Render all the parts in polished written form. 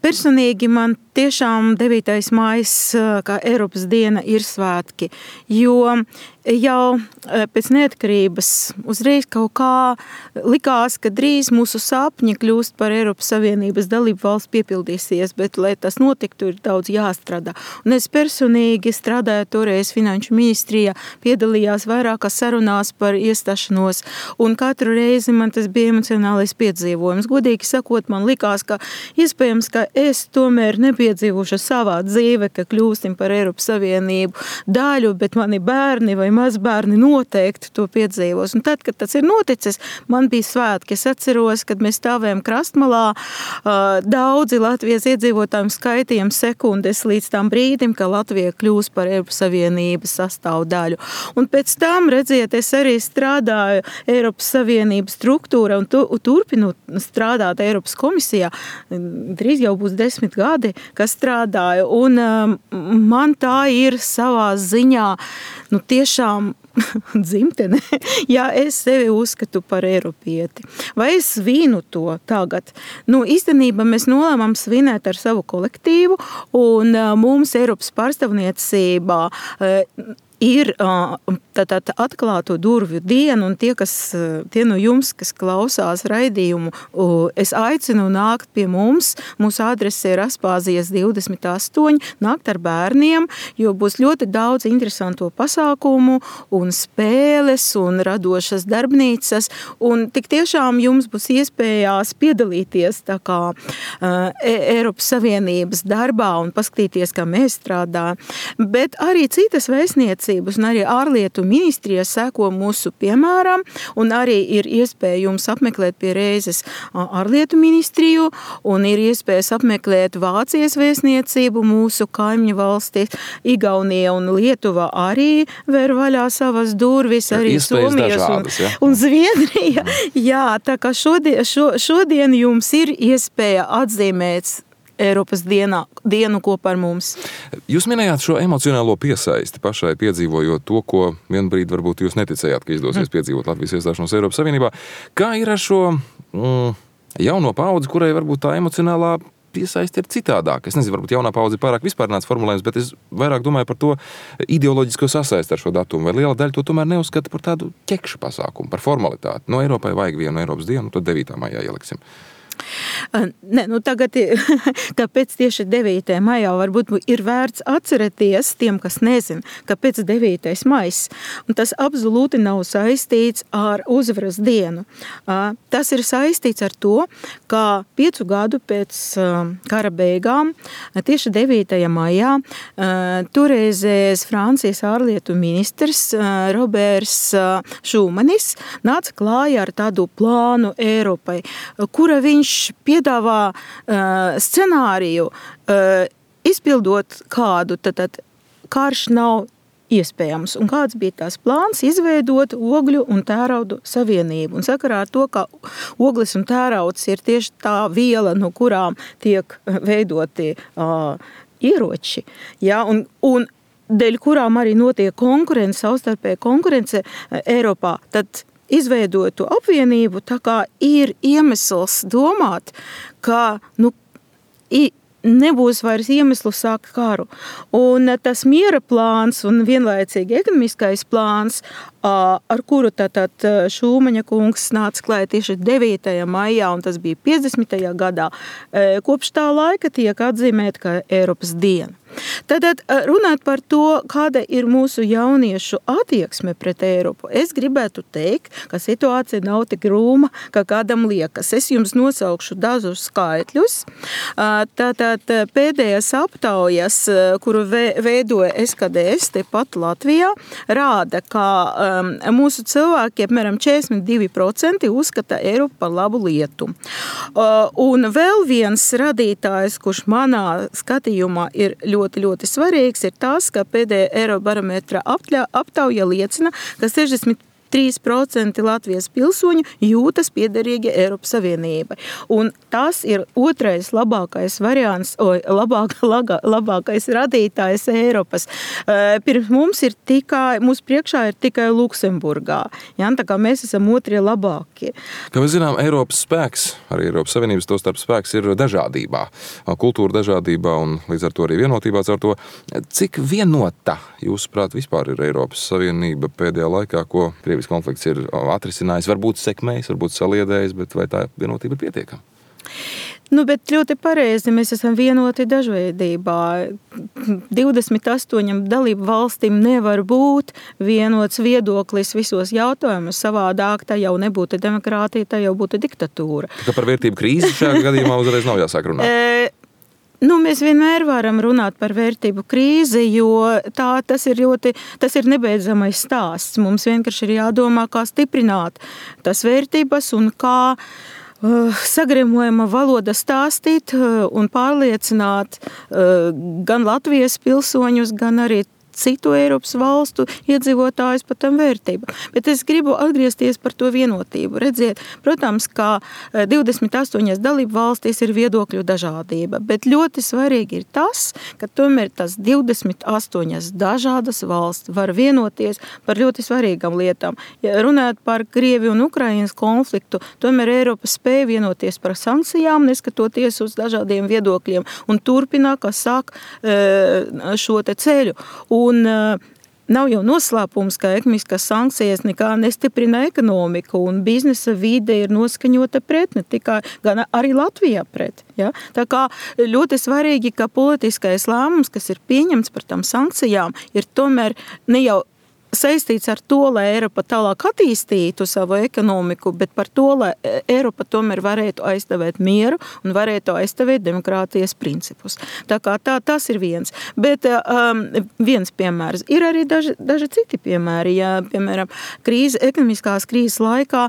Personīgi man tiešām 9. maijs, kā Eiropas diena, ir svētki, jo jau pēc neatkarības uzreiz kaut kā likās, ka drīz mūsu sapņi kļūst par Eiropas Savienības dalību valsts piepildīsies, bet, lai tas notiktu, ir daudz jāstrādā. Un es personīgi strādāju toreiz Finanšu ministrijā, piedalījās vairākās sarunās par iestāšanos, un katru reizi man tas bija emocionālais piedzīvojums. Godīgi sakot, man likās, ka iespējams, ka es tomēr nepiedzīvošu savā dzīve, ka kļūstim par Eiropas Savienību daļu, bet mani bērni vai mazbērni noteikti to piedzīvos. Un tad, kad tas ir noticis, man bija svētki. Es atceros, kad mēs stāvējam krastmalā, daudzi Latvijas iedzīvotājiem skaitījām sekundes līdz tam brīdim, ka Latvija kļūs par Eiropas Savienības sastāvdaļu. Un pēc tam, redziet, es arī strādāju Eiropas Savienības struktūra un turpinu strādāt Eiropas komisijā. Drīz jau būs 10 gadi, kas strādāju. Un man tā ir savā ziņā, tiešām dzimtene, ja es sevi uzskatu par eiropieti. Vai es svinu to tagad? Īstenībā mēs nolēmām svinēt ar savu kolektīvu, un mums Eiropas pārstāvniecībā ir tātad atklāto durvju diena, un tie no jums, kas klausās raidījumu, es aicinu nākt pie mums. Mūsu adrese ir Aspāzijas 28, nākt ar bērniem, jo būs ļoti daudz interesanto pasākumu un spēles un radošas darbnīcas, un tik tiešām jums būs iespējās piedalīties tā kā Eiropas Savienības darbā un paskatīties, kā mēs strādājam, bet arī citas vēstniecības un arī ārlietu ministrija seko mūsu piemēram, un arī ir iespēja jums apmeklēt pie reizes ārlietu ministriju, un ir iespējas apmeklēt Vācijas vēstniecību mūsu kaimiņu valstīs. Igaunija un Lietuva arī ver vaļā savas durvis, arī Somijas dažādas, un Zviedrija. Jā, tā kā šodien jums ir iespēja atzīmēt Eiropas dienu kopā ar mums. Jūs minējāt šo emocionālo piesaisti pašai piedzīvojot to, ko vienbrīd varbūt jūs neticējāt, ka izdosies piedzīvot Latvijas iestāšanos Eiropas Savienībā. Kā ir ar šo jauno paudzi, kurai varbūt tā emocionālā piesaisti ir citādāk? Es nezinu, varbūt jaunā paudze pārāk vispārnāts formulējums, bet es vairāk domāju par to ideoloģisko sasaisti ar šo datumu. Vai liela daļa to tomēr neuzskata par tādu ķekšu pasākumu, par formalitāti? Eiropai vajag vienu Eiropas dienu, tad 9. maijā ieliksim. Tagad, kāpēc tieši 9. maijā varbūt ir vērts atcerēties tiem, kas nezin, kāpēc 9. maijs. Un tas absolūti nav saistīts ar uzvaras dienu. Tas ir saistīts ar to, ka 5 gadu pēc kara beigām, tieši 9. maijā, toreizējais Francijas ārlietu ministrs Roberts Šūmanis nāca klājā ar tādu plānu Eiropai, kura viņš piedāvā scenāriju, izpildot kādu, tad karš nav iespējams. Un kāds bija tās plāns? Izveidot ogļu un tērauda savienību. Un sakarā ar to, ka ogles un tērauds ir tieši tā viela, no kurām tiek veidoti ieroči, un dēļ kurām arī notiek savstarpēja konkurence Eiropā, tad izveidotu apvienību, tā kā ir iemesls domāt, ka nebūs vairs iemeslu sākt karu. Un tas miera plāns un vienlaicīgi ekonomiskais plāns, ar kuru tātad Šūmaņa kungs nāca klāt tieši 9. maijā, un tas bija 50. gadā, kopš tā laika tiek atzīmēta kā Eiropas diena. Tātad runāt par to, kāda ir mūsu jauniešu attieksme pret Eiropu. Es gribētu teikt, ka situācija nav tik rūma, kā kādam liekas. Es jums nosaukšu dažus skaitļus. Tātad pēdējās aptaujas, kuru veidoja SKDS tepat Latvijā, rāda, ka mūsu cilvēki apmēram 42% uzskata Eiropu par labu lietu. Un vēl viens radītājs, kurš manā skatījumā ir ļoti svarīgs, ir tas, ka pēdējā Eirobarometra aptauja liecina, ka 63% 3% Latvijas pilsoņu jūtas piederīgi Eiropas Savienībai. Un tas ir otrais labākais variants, labākais radītājs Eiropas. Pirms mums mūsu priekšā ir tikai Luksemburgā. Ja? Tā kā mēs esam otrie labākie. Kā mēs zinām, Eiropas spēks, arī Eiropas Savienības to starp spēks ir dažādībā, kultūra dažādībā un līdz ar to arī vienotībā ar to. Cik vienota, jūsuprāt, vispār ir Eiropas Savienība pēdējā laikā, ko Krievijas konflikts ir atrisinājis, varbūt sekmējis, varbūt saliedējis, bet vai tā vienotība ir pietiekama? Bet ļoti pareizi, mēs esam vienoti dažveidībā. 28 dalību valstīm nevar būt vienots viedoklis visos jautājumos. Savādāk tā jau nebūtu demokrātija, tā jau būtu diktatūra. Tā par vērtību krīzi šajā gadījumā uzreiz nav jāsāk runāt. Mēs vienmēr varam runāt par vērtību krīzi, jo tas ir nebeidzamais stāsts. Mums vienkārši ir jādomā, kā stiprināt tas vērtības un kā sagremojama valoda stāstīt un pārliecināt gan Latvijas pilsoņus, gan arī citu Eiropas valstu iedzīvotājus par tam vērtību. Bet es gribu atgriezties par to vienotību. Redziet, protams, ka 28 dalību valstīs ir viedokļu dažādība, bet ļoti svarīgi ir tas, ka tomēr tas 28 dažādas valsts var vienoties par ļoti svarīgām lietām. Ja runājot par Krieviju un Ukrainas konfliktu, tomēr Eiropa spēja vienoties par sankcijām, neskatoties uz dažādiem viedokļiem un turpināt, kā saka, šo te ceļu. Un nav jau noslēpums, ka ekonomiskās sankcijas nekā nestiprina ekonomiku un biznesa vide ir noskaņota pret, ne tikai, gan arī Latvijā pret. Ja? Tā kā ļoti svarīgi, ka politiskais lēmums, kas ir pieņemts par tām sankcijām, ir tomēr ne jau saistīts ar to, lai Eiropa tālāk attīstītu savu ekonomiku, bet par to, lai Eiropa tomēr varētu aizstāvēt mieru un varētu aizstāvēt demokrātijas principus. Tā kā tas ir viens. Bet viens piemērs. Ir arī daži citi piemēri. Ja, piemēram, ekonomiskās krīzes laikā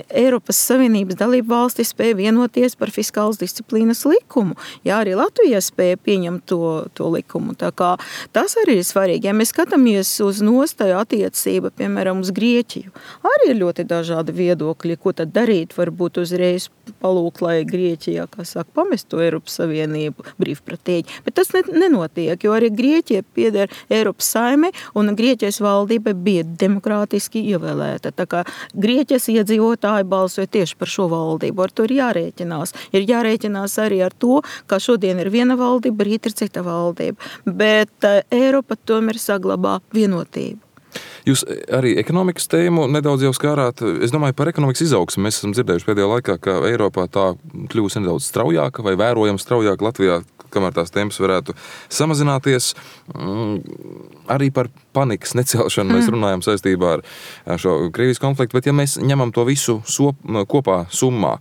Eiropas Savienības dalību valstis spēja vienoties par fiskālas disciplīnas likumu. Ja, arī Latvija spēja pieņemt to likumu. Tā kā tas arī ir svarīgi. Ja mēs skatāmies uz attiecība, piemēram, uz Grieķiju. Arī ir ļoti dažādi viedokļi, ko tad darīt, varbūt uzreiz palūkt, lai Grieķijā, kā saka, pamestu Eiropas Savienību brīvprātīgi. Bet tas nenotiek, jo arī Grieķija pieder Eiropas saimei, un Grieķijas valdība bija demokrātiski ievēlēta. Tā kā Grieķijas iedzīvotāji balsoja tieši par šo valdību, ar to ir jārēķinās. Ir jārēķinās arī ar to, ka šodien ir viena valdība, rīt ir cita valdība. Bet Eiropa tomēr saglabā vienotību. Jūs arī ekonomikas tēmu nedaudz jau skārāt. Es domāju, par ekonomikas izaugsmu mēs esam dzirdējuši pēdējā laikā, ka Eiropā tā kļūst nedaudz straujāka vai vērojami straujāka. Latvijā, kamēr tās temps varētu samazināties. Arī par panikas necelšanu mēs runājam saistībā ar šo Krievijas konfliktu, bet ja mēs ņemam to visu kopā summā,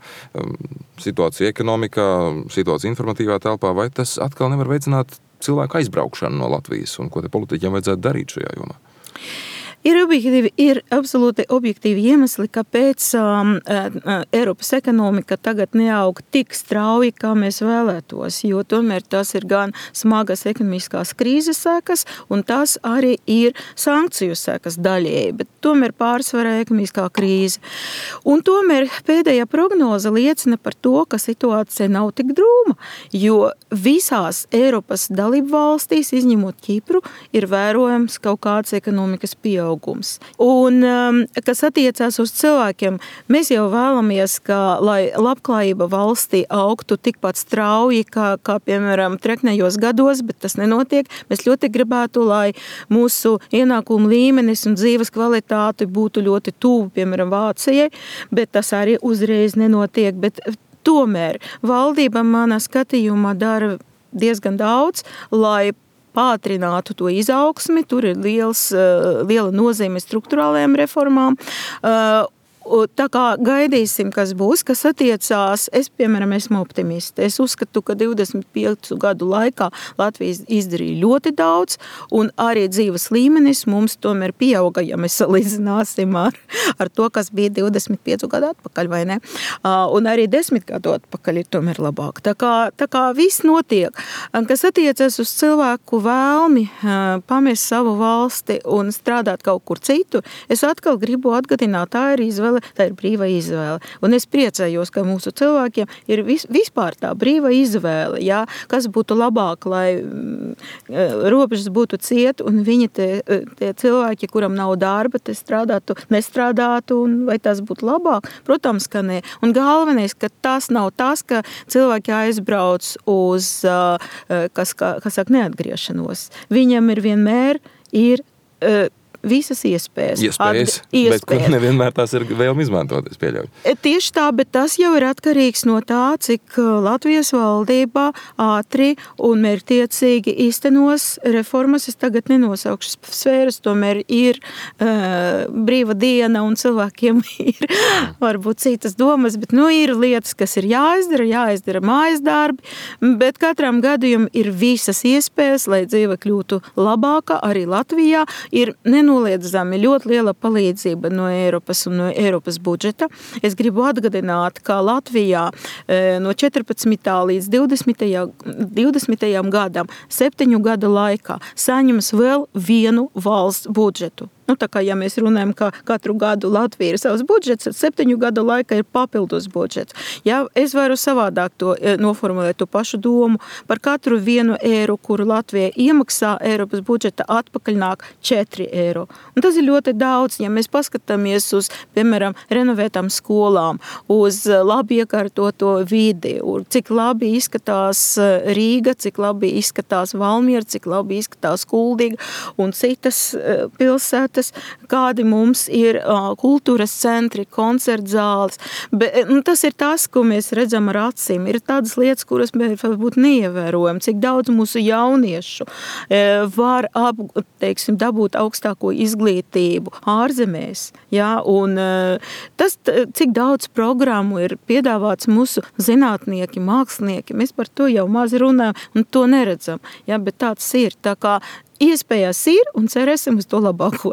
situācija ekonomikā, situācija informatīvā telpā, vai tas atkal nevar veicināt cilvēku aizbraukšanu no Latvijas un ko te politiķiem vajadzētu darīt šajā jomā? Ir absolūti objektīvi iemesli, kāpēc Eiropas ekonomika tagad neaug tik strauji, kā mēs vēlētos, jo tomēr tas ir gan smagas ekonomiskās krīzes sekas, un tas arī ir sankciju sekas daļēji, bet tomēr pārsvarā ekonomiskā krīze. Un tomēr pēdējā prognoze liecina par to, ka situācija nav tik drūma, jo visās Eiropas dalību valstīs, izņemot Ķipru, ir vērojams kaut kāds ekonomikas pieaugums. Un, kas attiecās uz cilvēkiem, mēs jau vēlamies, lai labklājība valstī augtu tikpat strauji, kā piemēram, treknējos gados, bet tas nenotiek. Mēs ļoti gribētu, lai mūsu ienākumu līmenis un dzīves kvalitāte būtu ļoti tuvu, piemēram, Vācijai, bet tas arī uzreiz nenotiek. Bet tomēr valdība manā skatījumā dara diezgan daudz, lai pātrinātu to izaugsmi, tur ir liela nozīme struktūrālajām reformām. tā kā gaidīsim, kas būs, kas attiecās, es, piemēram, esmu optimiste. Es uzskatu, ka 25 gadu laikā Latvija izdarīja ļoti daudz, un arī dzīves līmenis mums tomēr pieauga, ja mēs salīdzināsim ar to, kas bija 25 gadu atpakaļ, vai ne? Un arī 10 gadu atpakaļ ir tomēr labāk. Tā kā viss notiek. Kas attiecas uz cilvēku vēlmi pamest savu valsti un strādāt kaut kur citur, es atkal gribu atgādināt, tā ir izvēle, tā ir brīva izvēle. Un es priecājos, ka mūsu cilvēkiem ir vispār tā brīva izvēle, jā, kas būtu labāk, lai robežas būtu ciet, un viņi tie cilvēki, kuram nav darba, te nestrādātu, un vai tas būtu labāk? Protams, ka nē. Un galvenais, ka tas nav tas, ka cilvēki aizbrauc uz, kas saka, neatgriešanos. Viņam ir vienmēr visas iespējas. Bet kur nevienmēr tās ir vēlmi izmantot, es pieļauju. Tieši tā, bet tas jau ir atkarīgs no tā, cik Latvijas valdībā ātri un mērķtiecīgi īstenos reformas. Es tagad nenosaukšu sfēras, tomēr ir brīva diena un cilvēkiem ir varbūt citas domas, bet ir lietas, kas ir jāizdara mājas darbi, bet katram gadījumam ir visas iespējas, lai dzīve kļūtu labāka arī Latvijā. Ir nenoliedzami ļoti liela palīdzība no Eiropas un no Eiropas budžeta. Es gribu atgādināt, ka Latvijā no 14. līdz 20. gadam, 7 gadu laikā saņems vēl vienu valsts budžetu. Tā kā, ja mēs runājam, ka katru gadu Latvija ir savs budžets, tad 7 gadu laikā ir papildus budžets. Ja, es varu savādāk to noformulēt to pašu domu. Par katru 1 eiro, kuru Latvija iemaksā Eiropas budžeta, atpakaļ nāk 4 eiro. Un tas ir ļoti daudz, ja mēs paskatāmies uz, piemēram, renovētām skolām, uz labi iekārtoto vidi, cik labi izskatās Rīga, cik labi izskatās Valmiera, cik labi izskatās Kuldīga un citas pilsētas, kādi mums ir kultūras centri, koncertzāles. Tas ir tas, ko mēs redzam ar acīm. Ir tādas lietas, kuras mēs varbūt neievērojam, cik daudz mūsu jauniešu var dabūt augstāko izglītību ārzemēs. Ja? Un tas, cik daudz programmu ir piedāvāts mūsu zinātnieki, mākslinieki, mēs par to jau maz runājam un to neredzam. Ja? Bet tāds ir. Tā kā iespējas ir un cerēsim uz to labāko.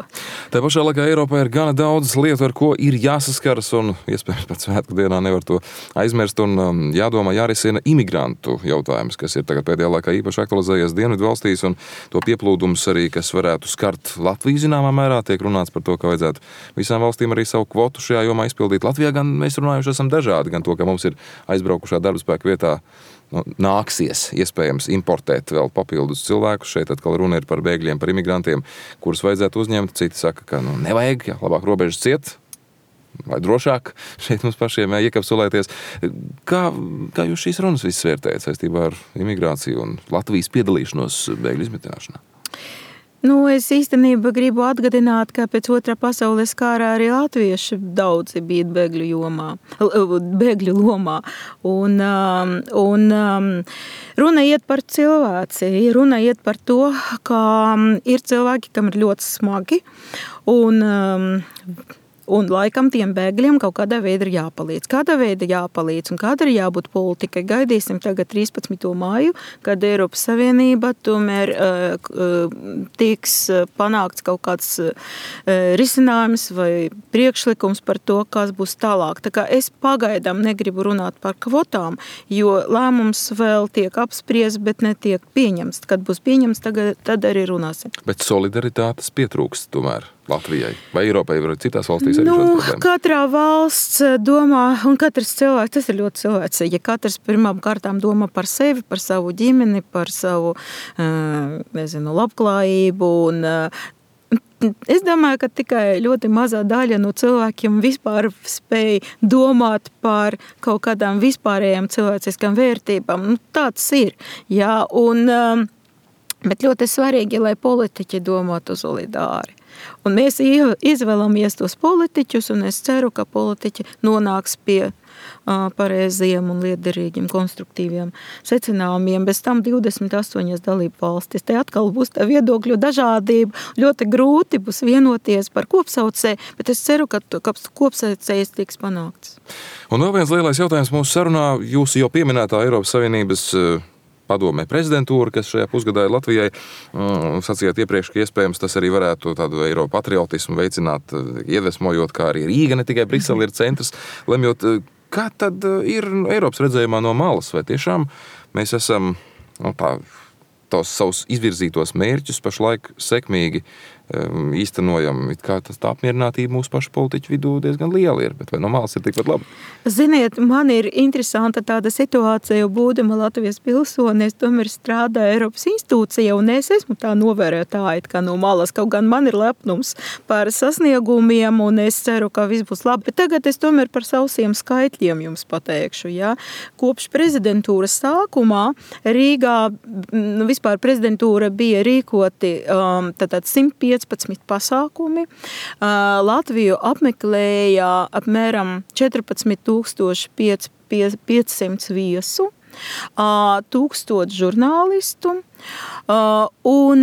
Tā pašā laikā Eiropā ir gana daudz lietu, ar ko ir jāsaskaras, un iespējams pat svētku dienā nevar to aizmirst, un jādomā, jārisina imigrantu jautājums, kas ir tagad pēdējā laikā īpaši aktualizējies Dienvidu valstīs, un to pieplūdums arī, kas varētu skart Latviju zināmā mērā, tiek runāts par to, ka vajadzētu visām valstīm arī savu kvotu šajā jomā izpildīt. Latvijā gan mēs runājuši esam dažādi, gan to, ka mums ir aizbraukušā darbspēka vietā nāksies iespējams importēt vēl papildus cilvēkus. Šeit atkal runa ir par bēgļiem, par imigrantiem, kurus vajadzētu uzņemt. Citi saka, ka nevajag, labāk robežas ciet, vai drošāk šeit mums pašiem iekapsulēties. Kā jūs šīs runas visas vērtējat saistībā ar imigrāciju un Latvijas piedalīšanos bēgļu izmitināšanā? Es īstenībā gribu atgādināt, ka pēc Otrā pasaules kara arī latvieši daudzi bija bēgļu lomā. Un runa iet par cilvēci, runa iet par to, ka ir cilvēki, kam ir ļoti smagi, un laikam tiem bēgļiem kaut kādā veidā ir jāpalīdz. Kādā veidā jāpalīdz un kāda ir jābūt politikai? Gaidīsim tagad 13. māju, kad Eiropas Savienība tomēr tiks panākts kaut kāds risinājums vai priekšlikums par to, kas būs tālāk. Tā kā es pagaidām negribu runāt par kvotām, jo lēmums vēl tiek apspriests, bet netiek pieņemts. Kad būs pieņemts, tad arī runāsim. Bet solidaritātes pietrūkst tomēr Latvijai vai Eiropai vai citās valstīs arī šādas problēmas? Katrā valsts domā, un katrs cilvēks, tas ir ļoti cilvēcīgi. Ja katrs pirmām kārtām domā par sevi, par savu ģimeni, par savu, labklājību, un es domāju, ka tikai ļoti mazā daļa no cilvēkiem vispār spēj domāt par kaut kādām vispārējām cilvēciskām vērtībām. Tāds ir, jā, bet ļoti svarīgi, lai politiķi domātu solidāri. Un mēs izvēlamies tos politiķus, un es ceru, ka politiķi nonāks pie pareiziem un lietderīgiem, konstruktīviem secinājumiem. Bez tam 28 dalību valstis. Te atkal būs tā viedokļu dažādība. Ļoti grūti būs vienoties par kopsaucēju, bet es ceru, ka kopsaucējs tiks panākts. Un vēl viens lielais jautājums mūsu sarunā. Jūsu jau pieminētā Eiropas Savienības padomē prezidentūra, kas šajā pusgadā ir Latvijai. Sacījāt iepriekš, ka iespējams tas arī varētu tādu Eiropu patriotismu veicināt, iedvesmojot, kā arī Rīga, ne tikai Brisele ir centrs, lemjot. Kā tad ir Eiropas redzējumā no malas? Vai tiešām mēs esam tos savus izvirzītos mērķus pašlaik sekmīgi īstenojam? It kā tas tā apmierinātība mūsu pašu politiķu vidū diezgan liela ir, bet vai no malas ir tikpat labi? Ziniet, man ir interesanta tāda situācija, jo būdama Latvijas pilsone, es tomēr strādāju Eiropas institūcijā, un es esmu tā novērotāja, kā no malas, kaut gan man ir lepnums par sasniegumiem, un es ceru, ka viss būs labi. Bet tagad es tomēr par sausiem skaitļiem jums pateikšu. Ja? Kopš prezidentūras sākumā Rīgā, vispār prezidentūra bija rīkoti 115 pasākumi. Latviju apmeklēja apmēram 14,500 viesu, 1000 žurnālistu, un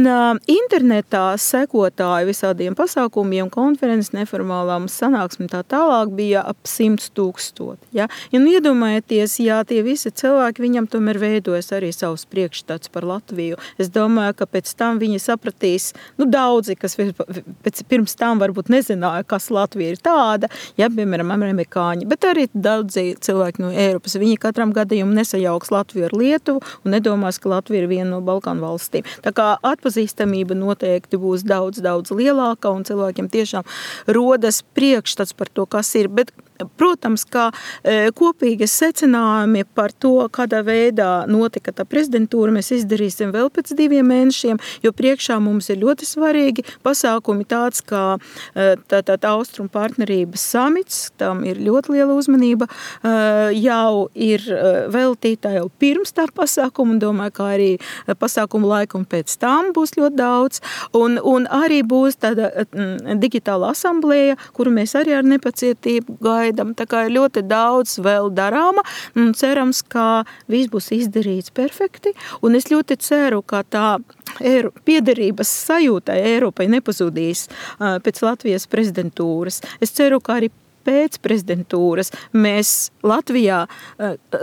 internetā sekotāji visādiem pasākumiem, konferences, neformālām sanāksmēm tā tālāk bija ap 100,000. Ja? Un iedomājieties, ja tie visi cilvēki, viņam tomēr veidojas arī savs priekšstats par Latviju. Es domāju, ka pēc tam viņi sapratīs, daudzi, kas pirms tam varbūt nezināja, kas Latvija ir tāda, ja, piemēram, amerikāņi, bet arī daudzi cilvēki no Eiropas. Viņi katram gadījumam nesajauks Latviju ar Lietuvu un nedomās, ka Latvija ir viena no Balkānu valstīm. Tā kā atpazīstamība noteikti būs daudz, daudz lielāka un cilvēkiem tiešām rodas priekšstats par to, kas ir. Bet, protams, kā kopīgas secinājumi par to, kādā veidā notika tā prezidentūra, mēs izdarīsim vēl pēc 2 mēnešiem, jo priekšā mums ir ļoti svarīgi pasākumi tāds, kā Austrumu partnerības samits, tam ir ļoti liela uzmanība, jau ir veltīta jau pirms tā pasākuma, un domāju, kā arī pasākumu laiku un pēc tam būs ļoti daudz, un arī būs tāda digitāla asamblēja, kuru mēs arī ar nepacietību gaidām. Tā kā ir ļoti daudz vēl darāma, un cerams, ka viss būs izdarīts perfekti, un es ļoti ceru, ka tā piederības sajūta Eiropai nepazudīs pēc Latvijas prezidentūras. Es ceru, ka arī pēc prezidentūras mēs Latvijā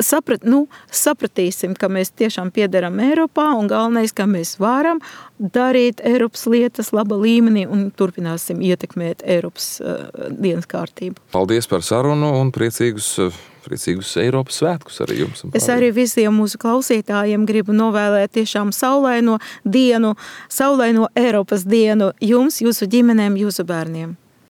sapratīsim, ka mēs tiešām piederam Eiropā, un galvenais, ka mēs varam darīt Eiropas lietas laba līmenī un turpināsim ietekmēt Eiropas dienas kārtību. Paldies par sarunu un priecīgus Eiropas svētkus arī jums. Es arī visiem mūsu klausītājiem gribu novēlēt tiešām saulaino dienu, saulaino Eiropas dienu jums, jūsu ģimenēm, jūsu bērniem.